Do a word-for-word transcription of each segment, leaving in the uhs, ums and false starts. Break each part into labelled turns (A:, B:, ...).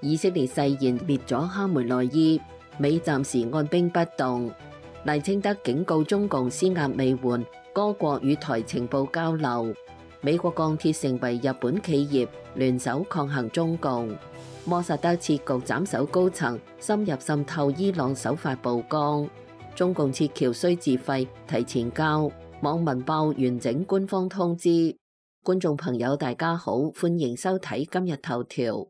A: 以色列誓言滅咗哈梅內伊，美暫時按兵不動。賴清德警告中共施壓未緩，多國與台情報交流。美國鋼鐵成為日本企業，聯手抗衡中共。摩薩德設局斬首高層，深入滲透伊朗手法曝光。中共撤僑需自費，提前交。網民爆完整官方通知。觀眾朋友大家好，歡迎收睇今日頭條。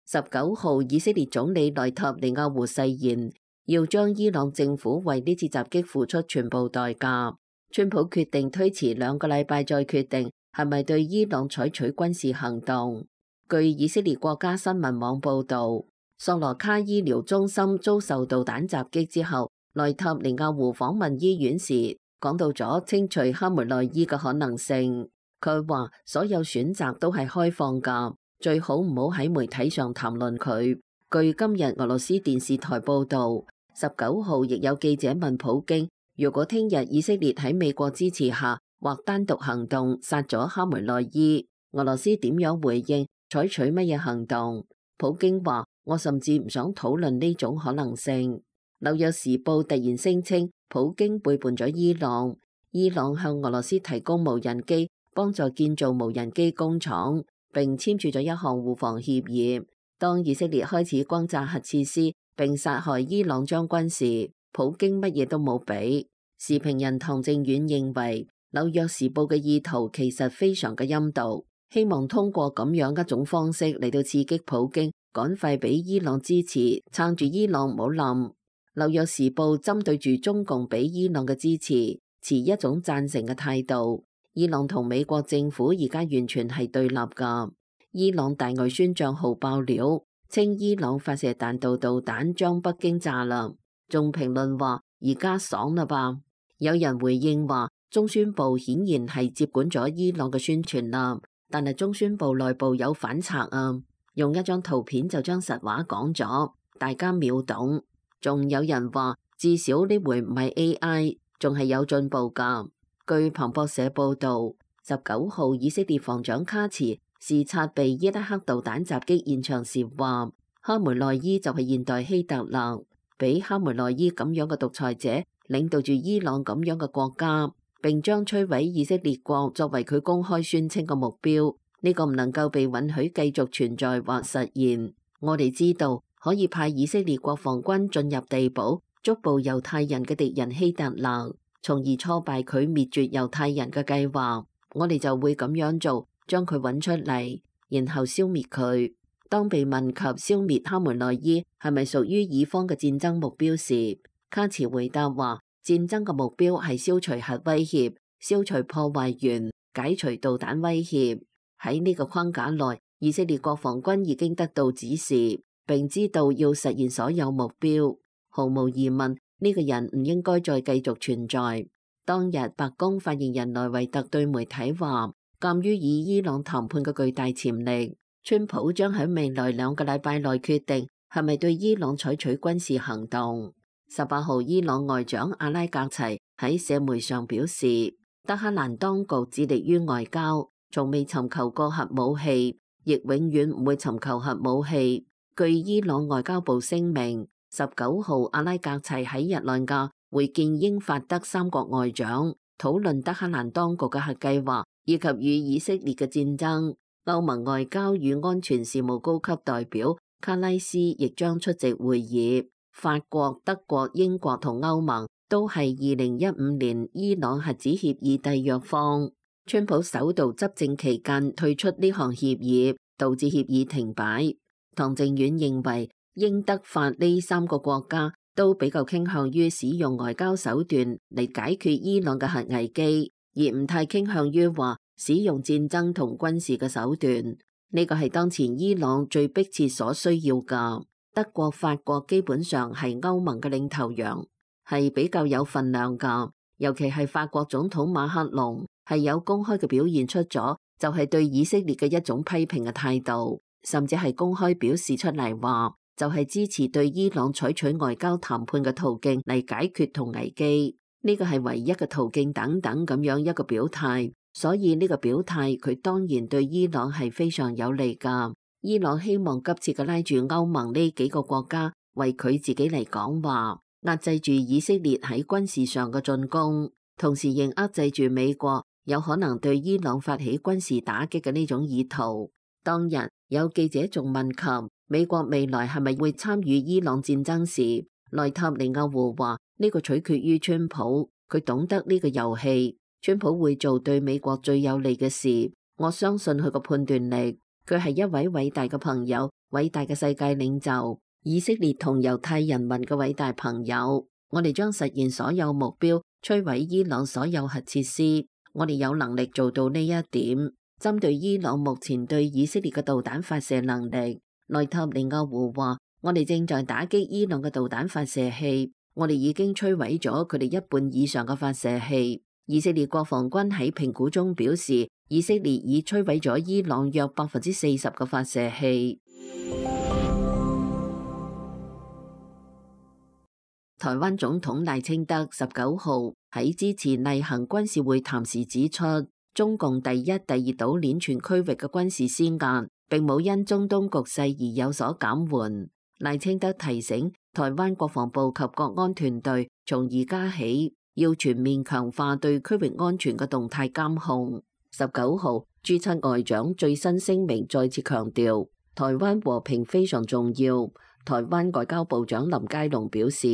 A: 十九號，以色列總理內塔尼亞胡誓言要將伊朗政府為呢次襲擊付出全部代價。川普決定推遲兩個禮拜再決定係咪對伊朗採取軍事行動。據以色列國家新聞網報道，索羅卡醫療中心遭受導彈襲擊之後，內塔尼亞胡訪問醫院時講到咗清除哈梅內伊嘅可能性。佢話所有選擇都係開放㗎。最好唔好喺媒體上談論佢。據今日俄羅斯電視台報道，十九號亦有記者問普京，如果聽日以色列喺美國支持下或單獨行動殺咗哈梅內伊，俄羅斯點樣回應，採取乜嘢行動？普京話：我甚至唔想討論呢種可能性。紐約時報突然聲稱，普京背叛咗伊朗，伊朗向俄羅斯提供無人機，幫助建造無人機工廠。並簽署咗一項互防協議。當以色列開始轟炸核設施並殺害伊朗將軍時，普京乜嘢都冇俾。時評人唐正遠認為，紐約時報嘅意圖其實非常嘅陰毒，希望通過咁樣一種方式嚟到刺激普京，趕快俾伊朗支持，撐住伊朗唔好冧。紐約時報針對住中共俾伊朗嘅支持，持一種贊成嘅態度。伊朗同美國政府而家完全係對立噶。伊朗大外宣賬號爆料，稱伊朗發射彈道導彈將北京炸啦，仲評論話而家爽啦吧。有人回應話，中宣部顯然係接管咗伊朗嘅宣傳啦，但係中宣部內部有反賊啊，用一張圖片就將實話講咗，大家秒懂。仲有人話，至少呢回唔係 A I， 仲係有進步噶。據彭博社報道，十九號以色列防長卡茨視察被伊拉克導彈襲擊現場時話，哈梅內伊就係現代希特勒，俾哈梅內伊咁樣嘅獨裁者領導住伊朗咁樣嘅國家，並將摧毀以色列國作為佢公開宣稱嘅目標，呢個唔能夠被允許繼續存在或實現。我哋知道可以派以色列國防軍進入地堡，捉捕猶太人嘅敵人希特勒，從而挫敗佢滅絕猶太人嘅計劃，我哋就會咁樣做，將佢揾出嚟，然後消滅佢。當被問及消滅哈梅內伊係咪屬於以方嘅戰爭目標時，卡茨回答話：戰爭嘅目標係消除核威脅、消除破壞源、解除導彈威脅。喺呢個框架內，以色列國防軍已經得到指示，並知道要實現所有目標。毫無疑問，呢個人唔應該再繼續存在。當日白宮發言人萊維特對媒體話，鑒於以伊朗談判嘅巨大潛力，川普將喺未來兩個禮拜內決定係咪對伊朗採取軍事行動。十八號，伊朗外長阿拉格齊喺社媒上表示，德黑蘭當局致力於外交，從未尋求過核武器，亦永遠唔會尋求核武器。據伊朗外交部聲明，十九號阿拉格齊喺日內瓦會見英法德三國外長，討論德黑蘭當局嘅核計劃以及與以色列嘅戰爭。歐盟外交與安全事務高級代表卡拉斯亦將出席會議。法國、德國、英國同歐盟都係二零一五年伊朗核子協議締約方。川普首度執政期間退出呢項協議，導致協議停擺。唐正遠認為，英德法呢三個國家都比較傾向於使用外交手段嚟解決伊朗嘅核危機，而唔太傾向於話使用戰爭同軍事嘅手段。呢個係當前伊朗最迫切所需要噶。德國、法國基本上係歐盟嘅領頭羊，係比較有份量噶。尤其係法國總統馬克龍係有公開嘅表現出咗，就係對以色列嘅一種批評嘅態度，甚至係公開表示出嚟話，就係支持對伊朗採取外交談判嘅途徑嚟解決同危機。呢個係唯一嘅途徑等等咁樣一個表態。所以呢個表態佢當然對伊朗係非常有利㗎。伊朗希望急切嘅拉住歐盟呢幾個國家為佢自己嚟講話，壓制住以色列喺軍事上嘅進攻，同時仍壓制住美國有可能對伊朗發起軍事打擊嘅呢種意圖。當日有記者仲問及美國未來係咪會參與伊朗戰爭時，內塔尼亞胡話呢個取決於川普，佢懂得呢個遊戲，川普會做對美國最有利嘅事，我相信佢個判斷力，佢係一位偉大嘅朋友，偉大嘅世界領袖，以色列同猶太人民嘅偉大朋友。我哋將實現所有目標，摧毀伊朗所有核設施，我哋有能力做到呢一點。針對伊朗目前對以色列嘅導彈發射能力，內塔尼亞胡話：我哋正在打擊伊朗嘅導彈發射器，我哋已經摧毀咗佢哋一半以上嘅發射器。以色列國防軍喺評估中表示，以色列已摧毀咗伊朗約百分之四十嘅發射器。台灣總統賴清德十九號喺支持例行軍事會談時指出，中共第一、第二島鏈全區域嘅軍事施壓並冇因中東局勢而有所減緩。賴清德提醒台灣國防部及國安團隊，從而家起要全面強化對區域安全嘅動態監控。十九號，駐七外長最新聲明再次強調，台灣和平非常重要。台灣外交部長林佳龍表示，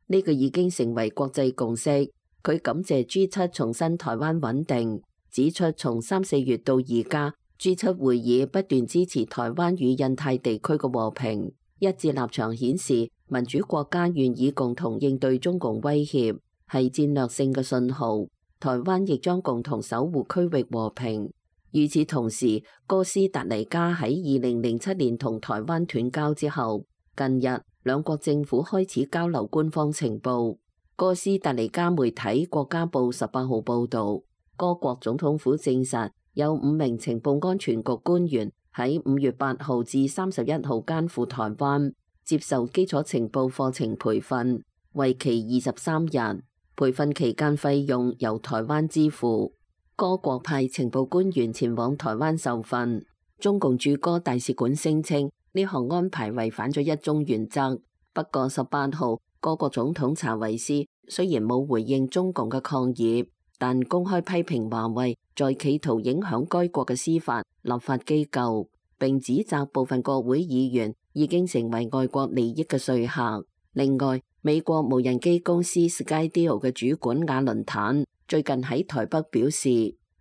A: 呢、這個已經成為國際共識。佢感謝 G 七重申台灣穩定，指出從三四月到而家 G 七會議不斷支持台灣與印太地區嘅和平。一致立場顯示民主國家願意共同應對中共威脅，係戰略性嘅信號。台灣亦將共同守護區域和平。與此同時，哥斯達黎加喺二零零七年同台灣斷交之後，近日兩國政府開始交流官方情報。哥斯達黎加媒體國家報十八號報導，該國總統府證實有五名情報安全局官員喺五月八號至三十一號間赴台灣接受基礎情報課程培訓，為期二十三日。培訓期間費用由台灣支付。該國派情報官員前往台灣受訓。中共駐哥大使館聲稱呢項安排違反咗一中原則。不過十八號，該國總統查韋斯雖然冇回應中共嘅抗議，但公開批評華為在企圖影響該國嘅司法立法機構，並指責部分國會議員已經成為外國利益嘅說客。另外，美國無人機公司 Skydio 嘅主管亞倫坦最近喺台北表示，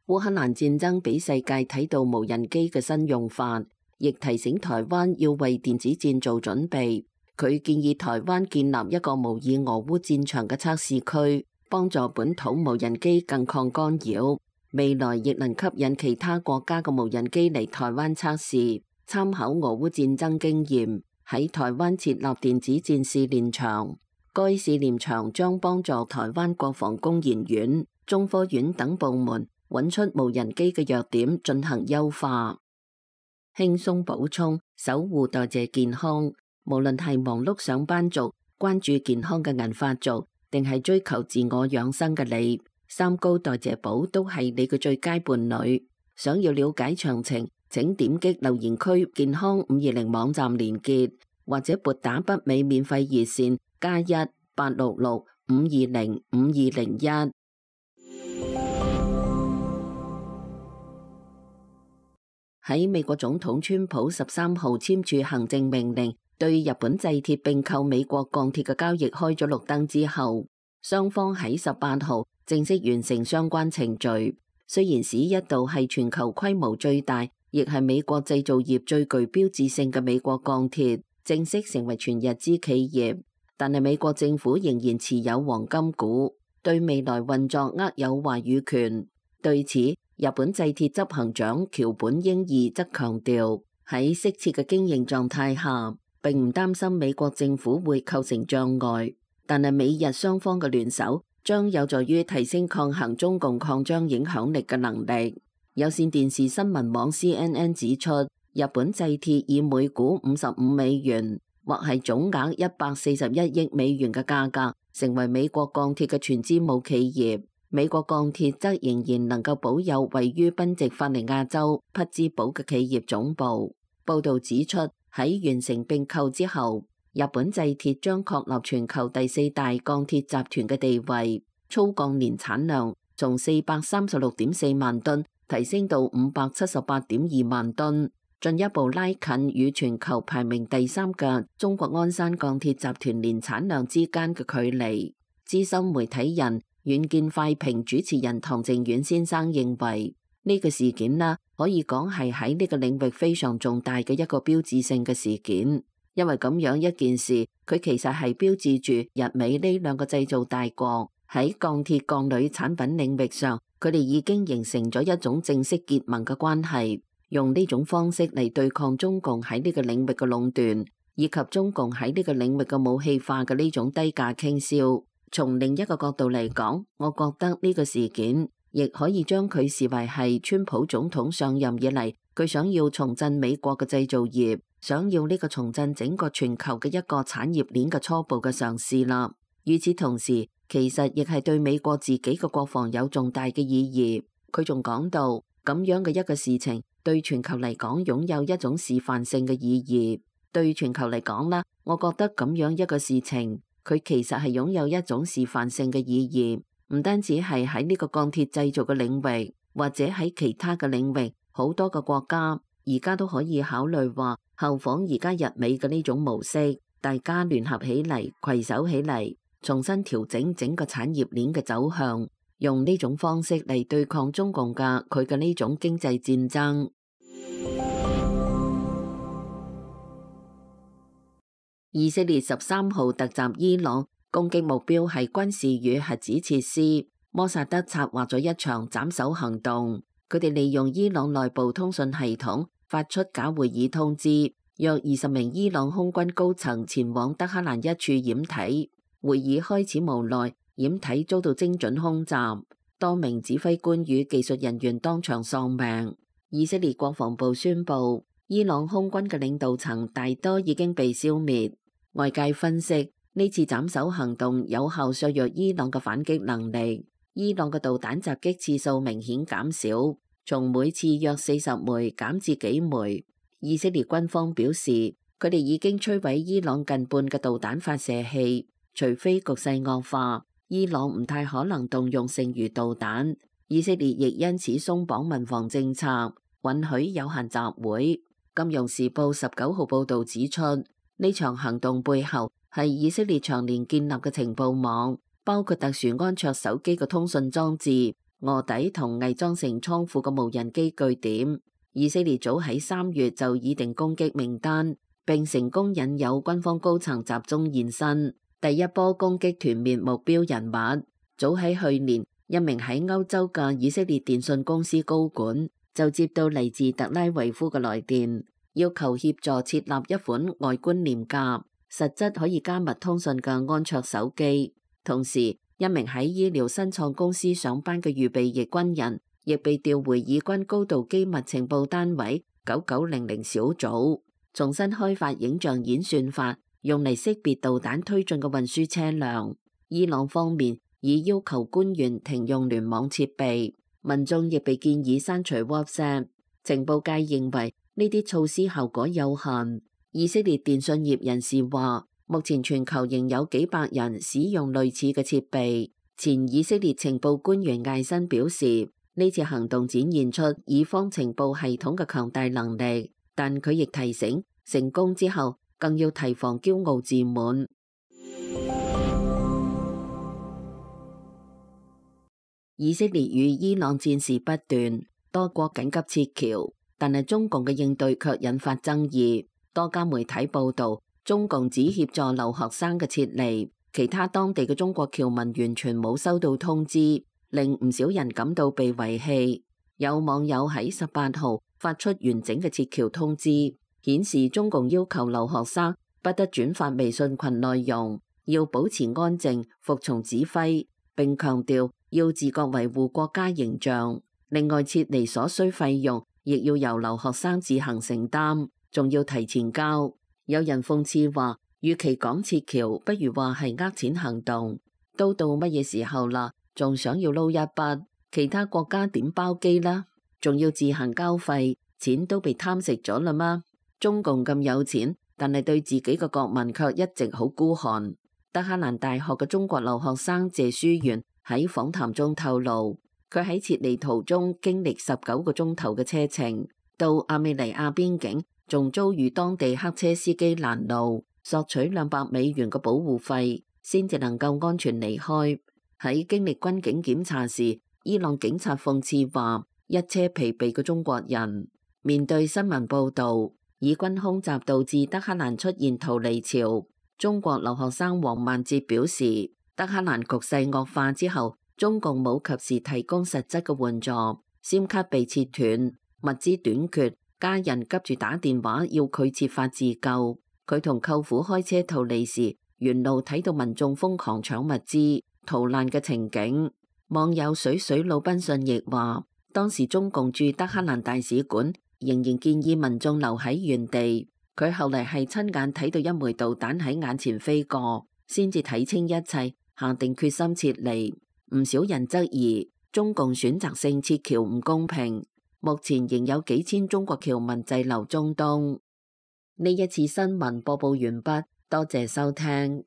A: 烏克蘭戰爭俾世界睇到無人機嘅新用法，亦提醒台灣要為電子戰做準備。佢建議台灣建立一個模擬俄烏戰場嘅測試區，幫助本土無人機更抗干擾。未來亦能吸引其他國家嘅無人機嚟台灣測試，參考俄烏戰爭經驗，喺台灣設立電子戰試練場。該試驗場將幫助台灣國防工研院、中科院等部門揾出無人機嘅弱點，進行優化。輕鬆補充，守護代謝健康。無論係忙碌上班族、關注健康嘅銀髮族，定係追求自我養生嘅你，三高代謝寶都係你嘅最佳伴侶。想要了解詳情，請點擊留言區健康五二零網站連結，或者撥打北美免費熱線加一八六六五二零五二零一。喺美國總統川普十三號簽署行政命令，對日本製鐵併購美國鋼鐵嘅交易開咗綠燈之後，雙方喺十八號正式完成相關程序。雖然史一度係全球規模最大，亦係美國製造業最具標誌性嘅美國鋼鐵正式成為全日資企業，但係美國政府仍然持有黃金股，對未來運作握有話語權。對此，日本製鐵執行長橋本英二則強調，喺適切嘅經營狀態下，並唔擔心美國政府會構成障礙，但係美日雙方嘅聯手將有助於提升抗衡中共擴張影響力嘅能力。有線電視新聞網 C N N 指出，日本製鐵以每股五十五美元，或係總額一百四十一億美元嘅價格，成為美國鋼鐵嘅全資母企業。美國鋼鐵則仍然能夠保有位於賓夕法尼亞州匹茲堡嘅企業總部。報導指出，喺完成併購之後，日本製鐵將確立全球第四大鋼鐵集團嘅地位，粗鋼年產量從四百三十六點四萬噸提升到五百七十八點二萬噸，進一步拉近與全球排名第三嘅中國鞍山鋼鐵集團年產量之間嘅距離。資深媒體人遠見快評主持人唐靖遠先生認為，呢個事件啦，可以講係喺呢個領域非常重大嘅一個標誌性嘅事件，因為咁樣一件事，佢其實係標誌住日美呢兩個製造大國喺鋼鐵鋼鋁產品領域上，佢哋已經形成咗一種正式結盟嘅關係，用呢種方式嚟對抗中共喺呢個領域嘅壟斷，以及中共喺呢個領域嘅武器化嘅呢種低價傾銷。從另一個角度嚟講，我覺得呢個事件亦可以將佢視為係川普總統上任以嚟，佢想要重振美國嘅製造業，想要呢個重振整個全球嘅一個產業鏈嘅初步嘅嘗試啦。與此同時，其實亦係對美國自己嘅國防有重大嘅意義。佢仲講到，咁樣嘅一個事情對全球嚟講擁有一種示範性嘅意義。對全球嚟講啦，我覺得咁樣一個事情，佢其實係擁有一種示範性嘅意義，唔單止係喺呢個鋼鐵製造嘅領域，或者喺其他嘅領域，好多個國家而家都可以考慮話效仿而家日美嘅呢種模式，大家聯合起嚟，攜手起嚟，重新調整整個產業鏈嘅走向，用呢種方式嚟對抗中共嘅佢嘅呢種經濟戰爭。以色列十三號突襲伊朗，攻擊目標係軍事與核子設施。摩薩德策劃咗一場斬首行動，佢哋利用伊朗內部通訊系統發出假會議通知，約二十名伊朗空軍高層前往德黑蘭一處掩體。會議開始無奈，掩體遭到精準空襲，多名指揮官與技術人員當場喪命。以色列國防部宣布，伊朗空軍嘅領導層大多已經被消滅。外界分析，呢次斬首行動有效削弱伊朗嘅反擊能力，伊朗嘅導彈襲擊次數明顯減少，從每次約四十枚減至幾枚。以色列軍方表示，佢哋已經摧毀伊朗近半嘅導彈發射器，除非局勢惡化，伊朗唔太可能動用剩餘導彈。以色列亦因此鬆綁民防政策，允許有限集會。金融時報十九號報導指出，呢場行動背後係以色列長年建立嘅情報網，包括特殊安卓手機嘅通訊裝置、臥底同偽裝成倉庫嘅無人機據點。以色列早喺三月就擬定攻擊名單，並成功引誘軍方高層集中現身。第一波攻擊團滅目標人物，早喺去年，一名喺歐洲嘅以色列電信公司高管就接到嚟自特拉維夫嘅來電，要求協助設立一款外觀廉價、實質可以加密通訊嘅安卓手機。同時，一名喺醫療新創公司上班嘅預備役軍人，亦被調回以軍高度機密情報單位九九零零小組，重新開發影像演算法，用嚟識別導彈推進嘅運輸車輛。伊朗方面已要求官員停用聯網設備，民眾亦被建議刪除 WhatsApp。情報界認為呢啲措施效果有限。以色列電信業人士話，目前全球仍有幾百人使用類似嘅設備。前以色列情報官員艾辛表示，呢次行動展現出以方情報系統嘅強大能力，但佢亦提醒，成功之後更要提防驕傲自滿。以色列與伊朗戰事不斷，多國緊急撤僑，但係中共嘅應對卻引發爭議。多家媒體報道，中共只協助留學生嘅撤離，其他當地嘅中國僑民完全冇收到通知，令唔少人感到被遺棄。有網友喺十八號發出完整嘅撤僑通知，顯示中共要求留學生不得轉發微信群內容，要保持安靜，服從指揮，並強調要自覺維護國家形象。另外，撤離所需費用亦要由留學生自行承擔，仲要提前交。有人諷刺話，與其講撤僑，不如話係呃錢行動。都到乜嘢時候啦？仲想要撈一筆，其他國家點包機啦？仲要自行交費，錢都被貪食咗啦嗎？中共咁有錢，但係對自己嘅國民卻一直好孤寒。德黑蘭大學嘅中國留學生謝書元喺訪談中透露，佢喺撤離途中經歷十九個鐘頭嘅車程，到亞美尼亞邊境，仲遭遇當地黑車司機攔路，索取兩百美元嘅保護費，先至能夠安全離開。喺經歷軍警檢查時，伊朗警察諷刺話：一車疲憊嘅中國人。面對新聞報導，以軍空襲導致德黑蘭出現逃離潮，中國留學生王萬哲表示，德黑蘭局勢惡化之後，中共冇及時提供實質嘅援助，SIM卡被切斷，物資短缺，家人急住打電話要佢設法自救。佢同舅父開車逃離時，沿路睇到民眾瘋狂搶物資、逃難嘅情景。網友水水魯賓遜亦話，當時中共駐德黑蘭大使館仍然建議民眾留喺原地。佢後嚟係親眼睇到一枚導彈喺眼前飛過，先至睇清一切，下定決心撤離。唔少人質疑中共選擇性撤僑唔公平。目前仍有幾千中國僑民滯留中東。呢一次新聞播報完畢，多謝收聽。